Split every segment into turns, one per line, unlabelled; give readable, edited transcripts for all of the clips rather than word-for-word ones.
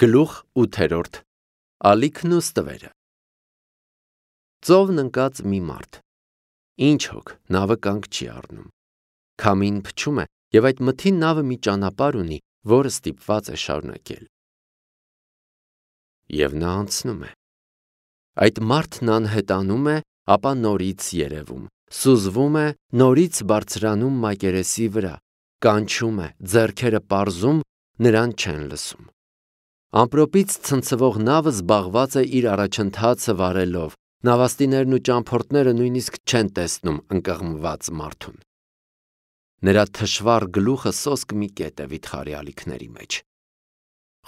Գլուխ 8 Ալիքն ու ստվերը Ծովն ընկած մի մարդ Ինչ հոգ նավը կանգ չի առնում Քամին փչում է և այդ մթին նավը մի ճանապարհ ունի, որը ստիպված է շարունակել Եվ նա անցնում է Այդ մարդն անհետանում է, ապա նորից երևում Սուզվում է, նորից բարձրանում մակերեսի վրա Կանչում է, ձեռքերը պարզում, նրան չեն լսում Ամպրոպից ցնցվող նավը զբաղված է իր առաջընթացը վարելով Նավաստիներն ու ճամփորդները նույնիսկ չեն տեսնում ընկղմված մարդուն Նրա թշվառ գլուխը սոսկ մի կետ է վիթխարի ալիքների մեջ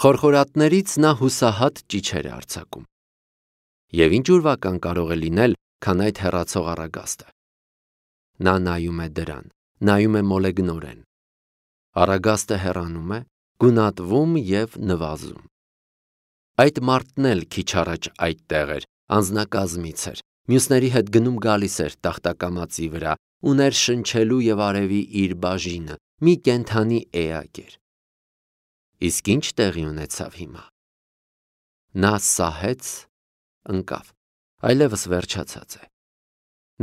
Խորխորատներից նա հուսահատ ճիչեր է արձակում Եվ ինչ ուրվական կարող է լինել, քան այդ հեռացող առագաստը Նա նայում է դրան, նայում է մոլեգնորեն Առագաստը հեռանում է, գունատվում և նվազում Այդ մարդն էլ քիչ առաջ այդտեղ էր, անձնակազմից էր, մյուսների հետ գնում-գալիս էր տախտակամածի վրա, ուներ շնչելու և արևի իր բաժինը, մի կենդանի էակ էր Իսկ ինչ տեղի ունեցավ հիմա Նա սահեց, ընկավ, այլևս վերջացած է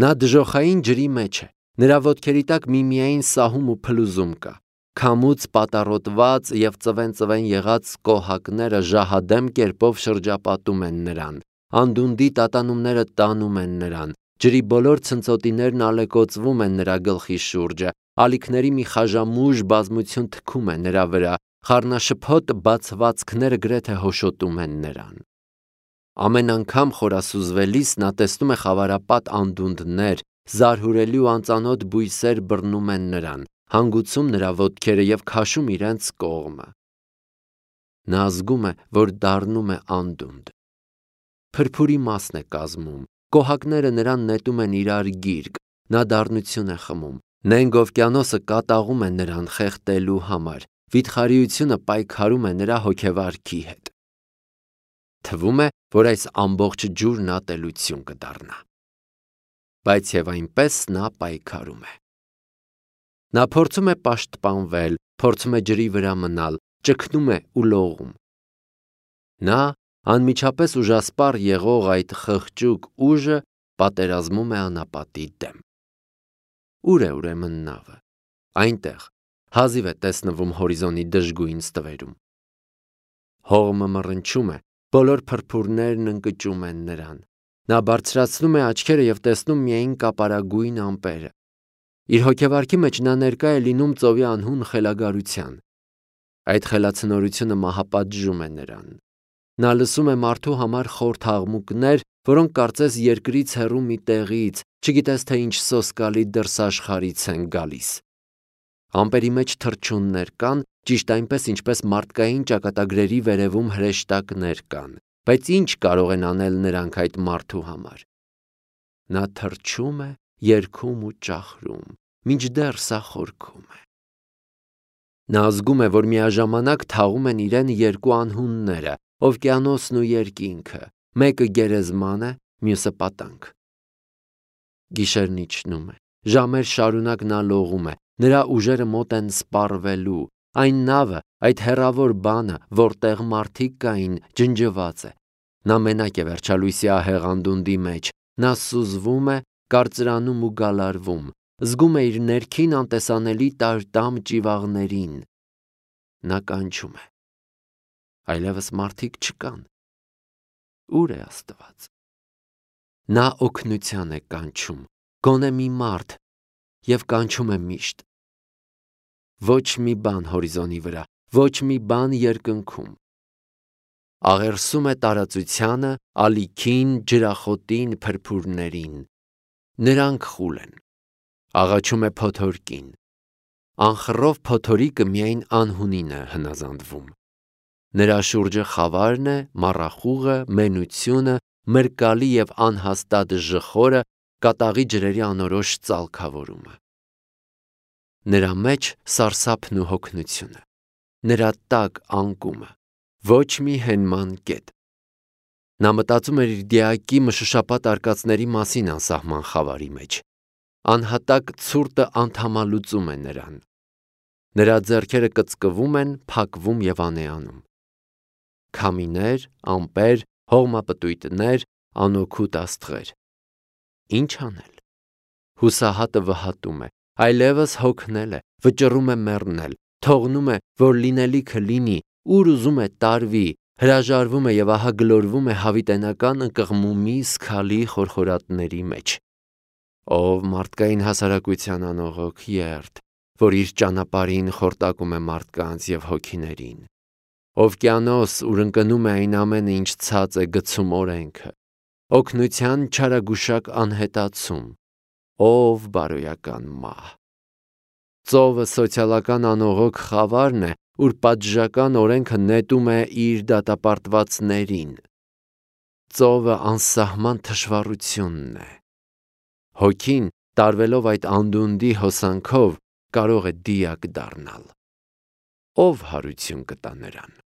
Նա դժոխային ջրի մեջ է, նրա ոտքերի տակ միմիայն սահում ու փլուզում կա Քամուց պատառոտված և ծվեն եղած կոհակները ժահադեմ կերպով շրջապատում են նրան, անդունդի տատանումները տանում են նրան, ջրի բոլոր ցնծոտիներն ալեկոծվում են նրա գլխի շուրջը, ալիքների մի խաժամուժ բազմություն թքում է նրա վրա, խառնաշփոթ բացվածքները գրեթե հոշոտում են նրան Ամեն անգամ խորասուզվելիս նա տեսնում է խավարապատ անդունդներ, զարհուրելի ու անծանոթ բույսեր բռնում են նրան, հանգուցում նրա ոտքերը և քաշում իրենց կողմը Նա զգում է, որ դառնում է անդունդ Փրփուրի մասն է կազմում, կոհակները նրան նետում են իրար գիրկ, նա դառնություն է խմում, նենգ օվկիանոսը կատաղում է նրան խեղդելու համար, վիթխարիությունը պայքարում է նրա հոգեվարքի հետ Թվում է, որ այս ամբողջ ջուրն ատելություն կդառնա Բայց և այնպես նա պայքարում է Նա փորձում է պաշտպանվել, փորձում է ջրի վրա մնալ, ճգնում է ու լողում Նա, անմիջապես ուժասպառ եղող այդ խղճուկ ուժը պատերազմում է անապատի դեմ Ո՞ւր է ուրեմն նավը, այնտեղ, հազիվ է տեսնվում հորիզոնի դժգույն ստվերում Հողմը մռնչում է, բոլոր փրփուրներն ընկճում են նրան Նա բարձրացնում է աչքերը և տեսնում միայն կապարագույն ամպերը Իր հոգեվարքի մեջ նա ներկա է լինում ծովի անհուն խելագարության Այդ խելացնորությունը մահապատժում է նրան Նա լսում է մարդու համար խորթ աղմուկներ, որոնք կարծես երկրից հեռու մի տեղից, չգիտես թե ինչ սոսկալի դրսաշխարհից են գալիս Ամպերի մեջ թռչուններ կան, ճիշտ այնպես, ինչպես մարդկային ճակատագրերի վերևում հրեշտակներ կան, բայց ինչ կարող են անել նրանք այդ մարդու համար Նա թռչում է, երգում ու ճախրում, մինչդեռ սա խորքում է Նա զգում է, որ միաժամանակ թաղում են իրեն երկու անհունները, օվկիանոսն ու երկինքը, մեկը գերեզման է, մյուսը պատանք Գիշերն իջնում է, ժամեր շարունակ նա լողում է, նրա ուժերը մոտ են սպառվելու, այն նավը, այդ հեռավոր բանը, որտեղ մարդիկ կային, ջնջված է, նա մենակ է վերջալույսի ահեղ անդունդի մեջ, նա սուզվում է, կարծրանում ու գալարվում, զգում է իր ներքին անտեսանելի տար-տամ ճիվաղներին, նա կանչում է, այլևս մարդիկ չկան, ո՞ւր է Աստված, նա օգնության է կանչում, գոնե մի մարդ և կանչում է միշտ, ոչ մի բան հորիզոնի վրա, ոչ մի բան երկնքում, աղերսում է տարածությանը, ալիքին, ջրախոտին, փրփուրներին, նրանք խուլ են, աղաչում է փոթորկին, անխռով փոթորիկը միայն անհունին է հնազանդվում, նրա շուրջը խավարն է, մառախուղը, մենությունը, մրկալի և անհաստատ ժխորը, կատաղի ջրերի անորոշ ծալքավորումը Նրա մեջ սարսափն ու հոգնությունը, նրա տակ անկումը, ոչ մի հենման կետ Նա մտածում էր իր դիակի մշուշապատ արկածների մասին անսահման խավարի մեջ, անհատակ ցուրտը անդամալուծում է նրան Նրա ձեռքերը կծկվում են, փակվում և անեանում քամիներ, ամպեր, հողմապտույտներ, անօգուտ աստղեր։ Ինչ անել։ Հուսահատը վհատում է, այլևս հոգնել է, վճռում է մեռնել, թողնում է, որ լինելիքը լինի, ուր ուզում է տարվի, հրաժարվում է և ահա գլորվում է հավիտենական ընկղմումի սգալի խորխորատների մեջ։ Ով մարդկային հասարակության անողոք երդ, որ իր ճանապարհին խորտակում է մարդկանց և հոգիներին։ Օվկիանոս, ուր ընկնում է այն ամենը, ինչ ցած է գցում օրենքը, օգնության չարագուշակ անհետացում, ով բարոյական մահ։ Ծովը սոցիալական անողոք խավարն է, ուր պատժական օրենքը նետում է իր դատապարտվածներին։ Ծովը անսահման թշվառությունն է։ Հոգին, տարվելով այդ անդունդի հոսանքով, կարող է դիակ դառնալ։ Ով հարություն կտա նրան։